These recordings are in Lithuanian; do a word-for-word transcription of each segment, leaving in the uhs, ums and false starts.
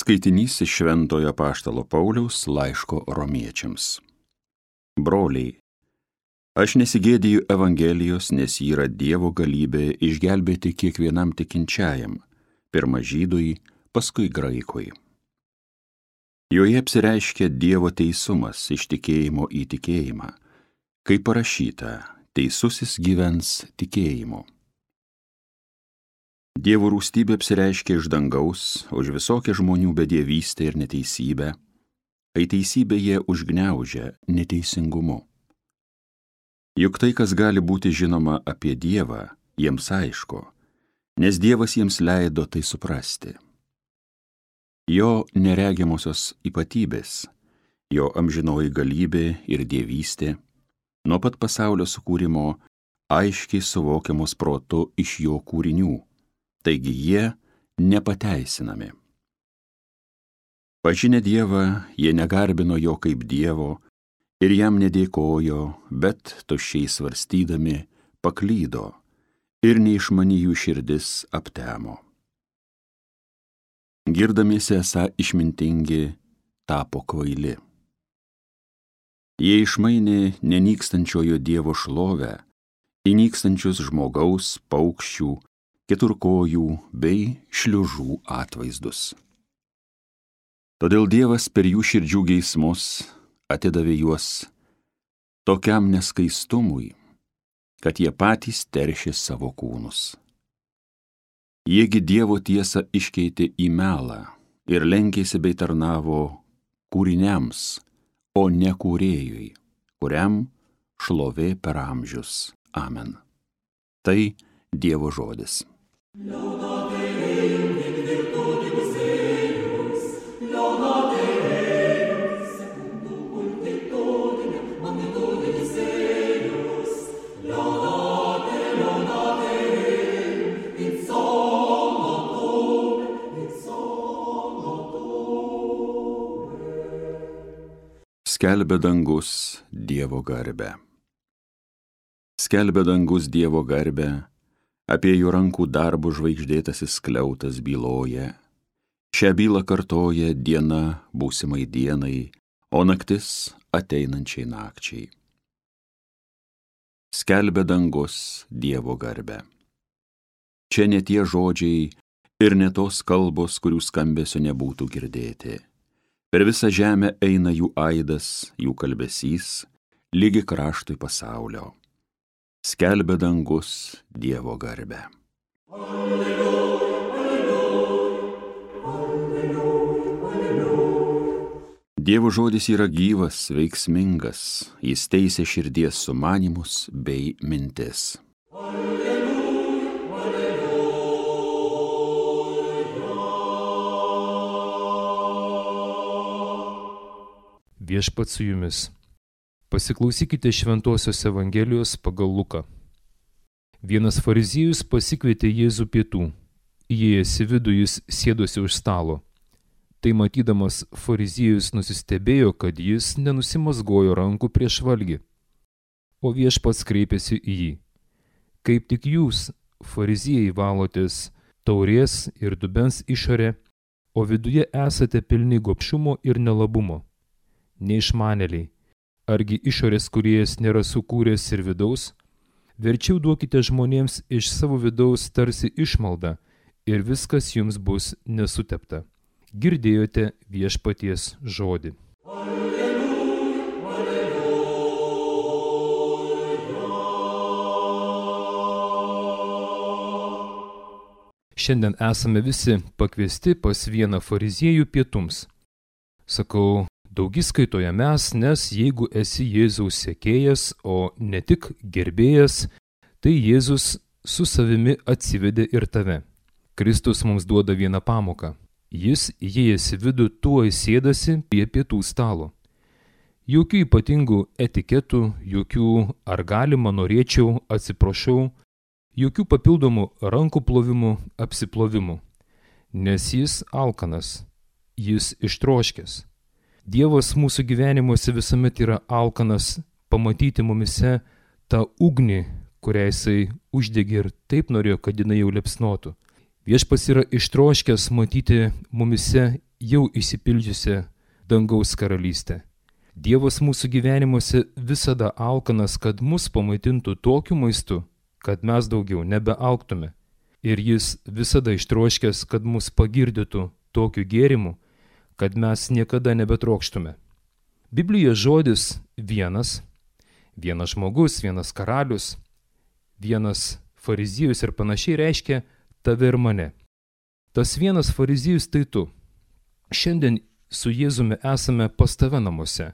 Skaitinys iš Šventojo Apaštalo Pauliaus laiško Romiečiams. Broliai, aš nesigėdiju Evangelijos, nes ji yra Dievo galybė išgelbėti kiekvienam tikinčiajam, pirma žydui, paskui graikui. Joje apsireiškia Dievo teisumas iš tikėjimo į tikėjimą, kaip parašyta, teisusis gyvens tikėjimu. Dievo rūstybė apsireiškia iš dangaus už visokią žmonių bedievystę ir neteisybę, kai teisybę jie užgniaužia neteisingumu. Juk tai, kas gali būti žinoma apie Dievą, jiems aišku, nes Dievas jiems leido tai suprasti. Jo neregiamosios ypatybės, jo amžinoji galybė ir dievystė, nuo pat pasaulio sukūrimo aiškiai suvokiamos protu iš jo kūrinių, taigi jie nepateisinami. Pažinę Dievą, jie negarbino jo kaip Dievo ir jam nedėkojo, bet tuščiai svarstydami paklydo ir neišmani jų širdis aptemo. Girdamiesi esą išmintingi, tapo kvaili. Jie išmainė nenykstančiojo Dievo šlovę į nykstančius žmogaus, paukščių, keturkojų bei šliužų atvaizdus. Todėl Dievas per jų širdžių geismus atidavė juos tokiam neskaistumui, kad jie patys teršė savo kūnus. Jiegi Dievo tiesą iškeitė į melą ir lenkėsi bei tarnavo kūriniams, o ne kūrėjui, kuriam šlovė per amžius. Amen. Tai Dievo žodis. Skelbia dangus Dievo garbę. Skelbia dangus Dievo garbę, apie jų rankų darbų žvaigždėtasis skliautas byloja. Šią bylą kartoja diena būsimai dienai, o naktis ateinančiai nakčiai. Skelbia dangus Dievo garbę. Čia ne tie žodžiai ir ne tos kalbos, kurių skambesio nebūtų girdėti. Per visą žemę eina jų aidas, jų kalbesys, lygi kraštui pasaulio. Skelbia dangus Dievo garbę. Alleluja, alleluja, alleluja. Dievo žodis yra gyvas, veiksmingas, jis teisia širdies sumanymus bei mintis. Viešpats su jumis. Pasiklausykite Šventosios Evangelijos pagal Luką. Vienas fariziejus pasikvietė Jėzų pietų. Įėjęs į vidų jis sėdosi už stalo. Tai matydamas fariziejus nusistebėjo, kad jis nenusimazgojo rankų prieš valgį. O Viešpats kreipėsi į jį. Kaip tik jūs, fariziejai, valotės taurės ir dubens išorę, o viduje esate pilni gobšumo ir nelabumo. Neišmanėliai, argi išorės kūrėjas nėra sukūręs ir vidaus? Verčiau duokite žmonėms iš savo vidaus tarsi išmaldą ir viskas jums bus nesutepta. Girdėjote Viešpaties žodį. Alleluja, alleluja. Šiandien esame visi pakviesti pas vieną fariziejų pietums. Sakau, daugiskaitoje mes, nes jeigu esi Jėzaus sekėjas, o ne tik gerbėjas, tai Jėzus su savimi atsivedė ir tave. Kristus mums duoda vieną pamoką. Jis, įėjęs į vidų, tuoj sėdasi prie pietų stalo. Jokių ypatingų etiketų, jokių ar galima, norėčiau, atsiprašau, jokių papildomų rankų plovimų, apsiplovimų. Nes jis alkanas, jis ištroškęs. Dievas mūsų gyvenimuose visuomet yra alkanas pamatyti mumise tą ugnį, kurią jisai uždegė ir taip norėjo, kad jinai jau liepsnotų. Viešpats yra ištroškęs matyti mumise jau išsipildžiusią dangaus karalystę. Dievas mūsų gyvenimuose visada alkanas, kad mus pamaitintų tokiu maistu, kad mes daugiau nebealktume. Ir jis visada ištroškęs, kad mus pagirdytų tokiu gėrimu, kad mes niekada nebetrokštume. Biblijoje žodis vienas, vienas žmogus, vienas karalius, vienas fariziejus ir panašiai reiškia tave ir mane. Tas vienas fariziejus tai tu. Šiandien su Jėzumi esame pas tave namuose.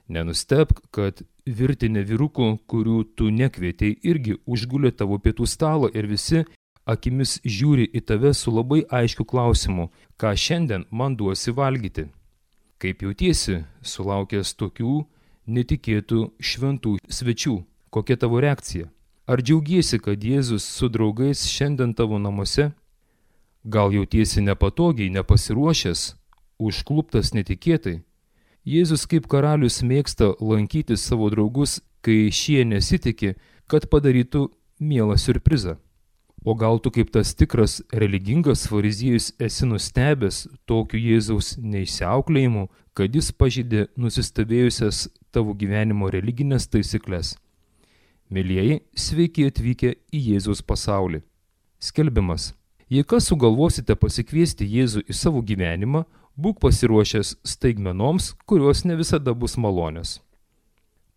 Nenustebk, kad virtinė vyrukų, kurių tu nekvietei, irgi užgulė tavo pietų stalo ir visi akimis žiūri į tave su labai aiškiu klausimu, ką šiandien man duosi valgyti. Kaip jautiesi, sulaukęs tokių netikėtų šventų svečių, kokia tavo reakcija? Ar džiaugiesi, kad Jėzus su draugais šiandien tavo namuose? Gal jautiesi nepatogiai, nepasiruošęs, užkluptas netikėtai? Jėzus kaip karalius mėgsta lankyti savo draugus, kai šie nesitiki, kad padarytų mielą siurprizą. O gal tu kaip tas tikras religingas fariziejus esi nustebęs tokiu Jėzaus neišsiauklėjimu, kad jis pažeidė nusistovėjusias tavo gyvenimo religinės taisyklės. Mielieji, sveiki atvykę į Jėzaus pasaulį. Skelbimas. Jei kas sugalvosite pasikviesti Jėzų į savo gyvenimą, būk pasiruošęs staigmenoms, kurios ne visada bus malonios.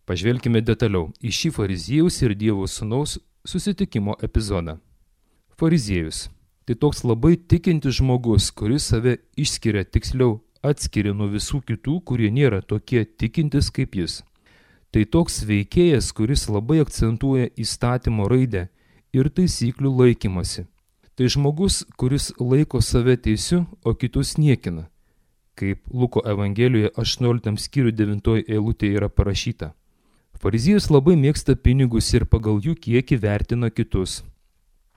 Pažvelkime detaliau į šį fariziejaus ir Dievo sūnaus susitikimo epizodą. Fariziejus – tai toks labai tikintis žmogus, kuris save išskiria, tiksliau atskiria nuo visų kitų, kurie nėra tokie tikintis kaip jis. Tai toks veikėjas, kuris labai akcentuoja įstatymo raidę ir taisyklių laikymasi. Tai žmogus, kuris laiko save teisiu, o kitus niekina. Kaip Luko Evangelijoje aštuonioliktam skyriui devintoji eilutė yra parašyta. Fariziejus labai mėgsta pinigus ir pagal jų kiekį vertina kitus.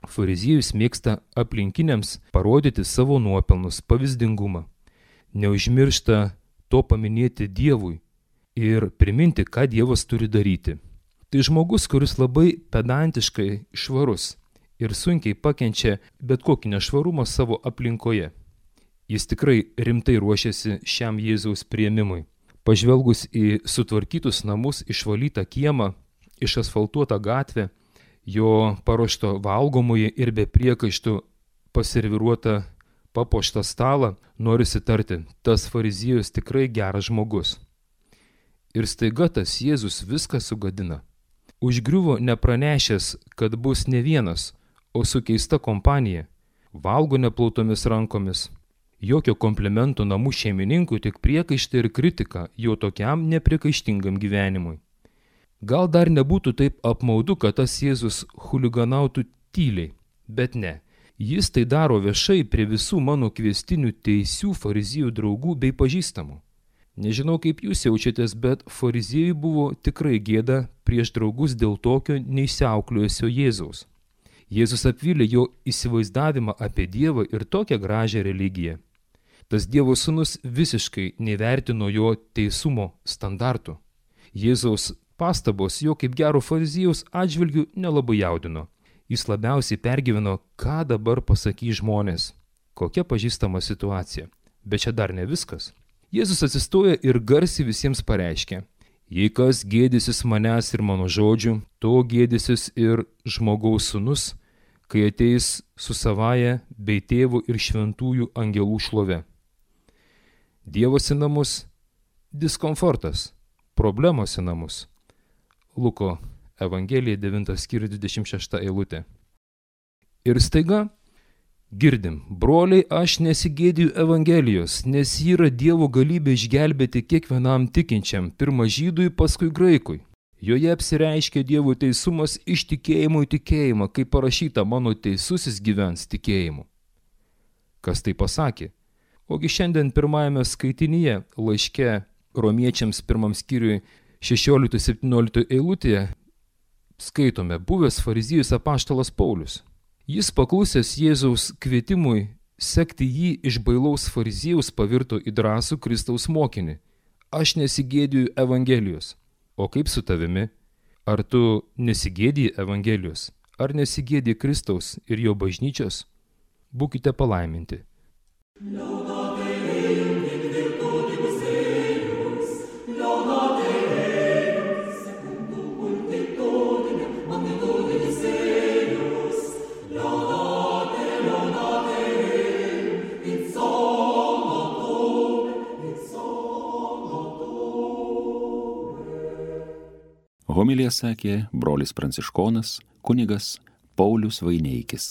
Fariziejus mėgsta aplinkiniams parodyti savo nuopelnus, pavyzdingumą. Neužmiršta to paminėti Dievui ir priminti, ką Dievas turi daryti. Tai žmogus, kuris labai pedantiškai švarus ir sunkiai pakenčia bet kokį nešvarumą savo aplinkoje. Jis tikrai rimtai ruošiasi šiam Jėzaus priėmimui. Pažvelgus į sutvarkytus namus, išvalytą kiemą, išasfaltuotą gatvę, jo paruošto valgomųjį ir be priekaištų paserviruotą papuoštą stalą, norisi tarti, tas fariziejus tikrai geras žmogus. Ir staiga tas Jėzus viską sugadina. Užgriuvo nepranešęs, kad bus ne vienas, o su keista kompanija, valgo neplautomis rankomis. Jokio komplimento namų šeimininkui, tik priekaištą ir kritiką jo tokiam nepriekaištingam gyvenimui. Gal dar nebūtų taip apmaudu, kad tas Jėzus chuliganautų tyliai, bet ne. Jis tai daro viešai prie visų mano kviestinių teisių farizijų draugų bei pažįstamų. Nežinau, kaip jūs jaučiatės, bet fariziejui buvo tikrai gėda prieš draugus dėl tokio neišsiauklėjusio Jėzaus. Jėzus apvylė jo įsivaizdavimą apie Dievą ir tokią gražią religiją. Tas Dievo sūnus visiškai nevertino jo teisumo standartų. Jėzaus pastabos jo kaip gero fariziejaus atžvilgių nelabai jaudino. Jis labiausiai pergyveno, ką dabar pasakys žmonės. Kokia pažįstama situacija. Bet čia dar ne viskas. Jėzus atsistoja ir garsiai visiems pareiškia. Jei kas gėdysis manęs ir mano žodžių, to gėdysis ir žmogaus sūnus, kai ateis su savaja bei tėvų ir šventųjų angelų šlove. Dievas į namus – diskomfortas, problemos į namus. Luko Evangelija devintas skyrius dvidešimt šešta eilutė. Ir staiga girdim, broliai, aš nesigėdiju Evangelijos, nes ji yra Dievo galybė išgelbėti kiekvienam tikinčiam, pirma žydui, paskui graikui. Joje apsireiškia Dievo teisumas iš tikėjimo į tikėjimą, kaip parašyta, mano teisusis gyvens tikėjimu. Kas tai pasakė? Ogi šiandien pirmajame skaitinyje laiške romiečiams pirmam skyriui šešiolikta septyniolikta eilutėje skaitome buvęs fariziejus apaštalas Paulius. Jis paklusęs Jėzaus kvietimui sekti jį iš bailaus fariziejaus pavirto į drąsų Kristaus mokinį. Aš nesigėdiju Evangelijos. O kaip su tavimi? Ar tu nesigėdiji Evangelijos? Ar nesigėdiji Kristaus ir jo bažnyčios? Būkite palaiminti. Homiliją sakė brolis pranciškonas kunigas Paulius Vaineikis.